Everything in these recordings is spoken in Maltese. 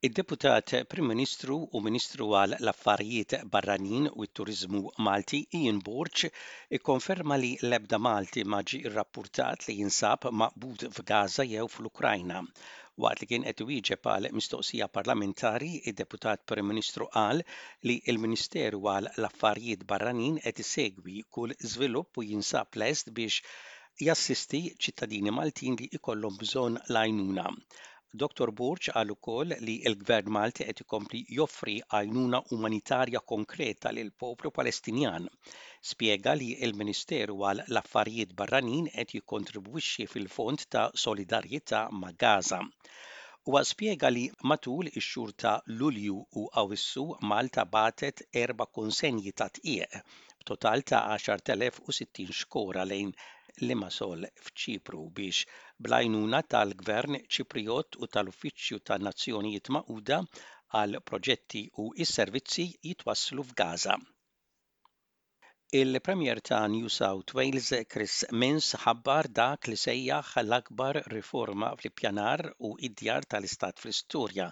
Id-Deputat Prim Ministru u Ministru għal l-Affarijiet Barranin u t-Turiżmu Malti Ian Borg ikkonferma li l-ebda Malti ma ġie rrappurtat li jinsab maqbud f'Gaza jew fl-Ukrajna. Waqt li kien qed iwieġeb għal mistoqsija parlamentari, id-Deputat Prim Ministru qal li l-Ministeru għal l-Affarijiet Barranin qed isegwi kull żvilupp u jinsab lest biex jassisti ċittadini Maltin li jkollhom bżonn l-għajnuna. Dottor Borg qal ukoll li l-Gvern Malti qed ikompli joffri għajnuna umanitarja konkreta lill-poplu Palestinjan. Spjega li l-Ministeru għal l-Affarijiet Barranin qed jikkontribwixxi fil-Fond ta' Solidarjetà ma' Gaza. Huwa spjega li matul ix-xhur ta' Lulju u Awwissu Malta bagħtet erba' konsenji ta' dqiq b'total ta' 10,060 xkora lejn Limassol f'Ċipru biex bl-għajnuna tal-Gvern Ċiprijott u tal-Uffiċċju tan-Nazzjonijiet Magħquda għall-Proġetti u s-Servizzi jitwasslu f'Gaza. Il-Premier ta' New South Wales Chris Minns ħabbar dak li sejjaħ l-akbar riforma fl-ippjanar u d-djar tal-istat fl-istorja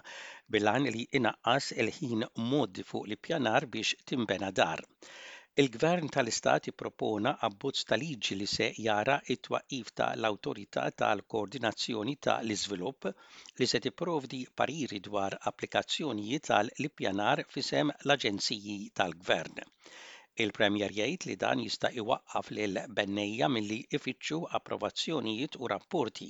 bil-għan li inaqqas il-ħin mgħoddi fuq l-ippjanar biex tinbena dar. Il-Gvern tal-Istat ippropona abbozz ta' liġi li se jara t-twaqqif ta' l-Awtorità tal-Koordinazzjoni ta' l-Iżvilupp li se tipprovdi pariri dwar applikazzjonijiet għal l-ippjanar f'isem l-aġenziji tal-Gvern. Il-Premier jgħid li dan jista' iwaqqaf lil bennejja milli jfittxu approvazzjonijiet u rapporti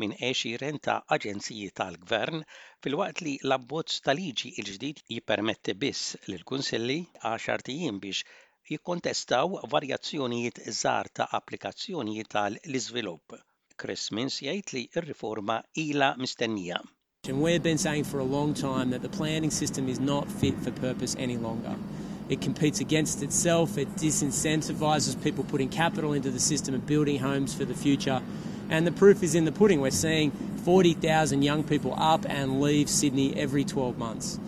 minn għexieren ta' aġenziji tal-Gvern filwaqt li l-abbozz ta' liġi l-ġdid jippermetti biss lill-kunsilli għaxart ijiem biex jikkontestaw varjazzjonijiet żgħar ta' applikazzjonijiet għal l-iżvilupp. Chris Minns jgħid li r-riforma ilha mistennija. And we've been saying for a long time that the planning system is not fit for purpose any longer. It competes against itself, it disincentivises people putting capital into the system and building homes for the future. And the proof is in the pudding. We're seeing 40,000 young people up and leave Sydney every 12 months.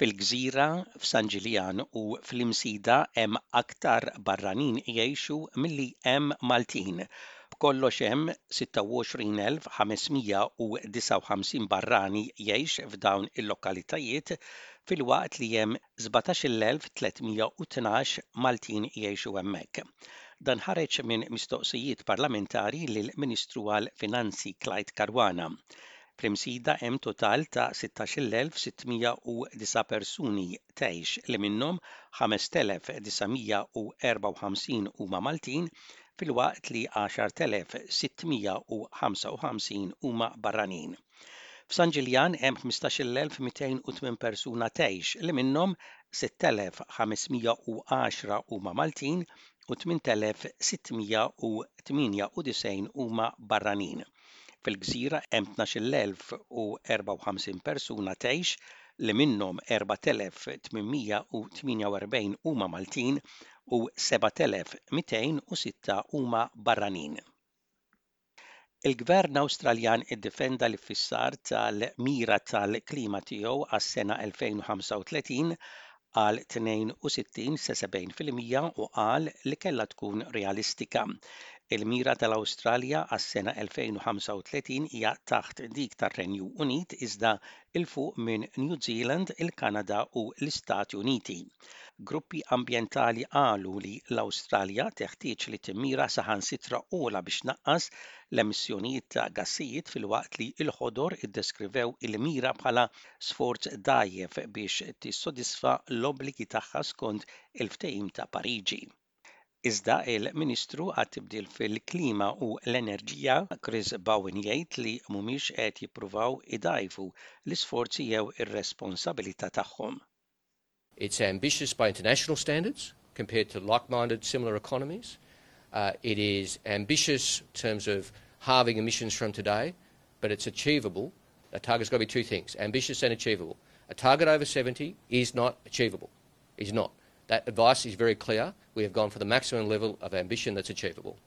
Fil-Gżira, f'San Ġiljan u fl-Imsida hemm aktar barranin jgħixu milli hemm Maltin. B'kollox hemm 26,559 barrani jgħix f'dawn il-lokalitajiet filwaqt li hemm 17,312 Maltin jgħixu hemmhekk. Dan ħareġ minn mistoqsijiet parlamentari lill-Ministru għall-Finanzi Clyde Caruana. Fl-Imsida hemm total ta' 16,609 persuni tgħix li minnhom 5,954 huma Maltin filwaqt li 10,655 huma barranin. F'San Ġiljan hemm 15,208 persuna tgħix li minnhom 6,510 huma Maltin u 8,698 huma barranin. Fil-Gżira hemm 12,054 persuna tgħix li minnhom 4,848 huma Maltin u 7,206 huma barranin. Il-Gvern Awstraljan iddefenda l-iffissar tal-mira tal-klima tiegħu għas-sena 2035 għal 62 sa 70% u qal li kellha tkun realistika. Il-mira tal-Awstralja għas-sena 2035 hija taħt dik tar-Renju Unit iżda 'l fuq minn New Zealand, il-Kanada u l-Istati Uniti. Gruppi ambjentali qalu li l-Awstralja teħtieġ li timmira saħansitra ogħla biex tnaqqas l-emissjonijiet ta' gassijiet filwaqt li l-Ħodor iddeskrivew il-mira bħala sforz dgħajjef biex tissodisfa l-obbligi tagħha skont il-Ftehim ta' Pariġi. Iżda il-Ministru għat-Tibdil fil-Klima u l-Enerġija Chris Bowen jgħid li mhumiex qed jippruvaw idgħajfu l-isforzi jew ir-responsabilità tagħhom. It's ambitious by international standards compared to like-minded similar economies. Uh, it is ambitious in terms of halving emissions from today, but it's achievable. A target's got to be two things, ambitious and achievable. A target over 70 is not achievable. Is not. That advice is very clear. We have gone for the maximum level of ambition that's achievable.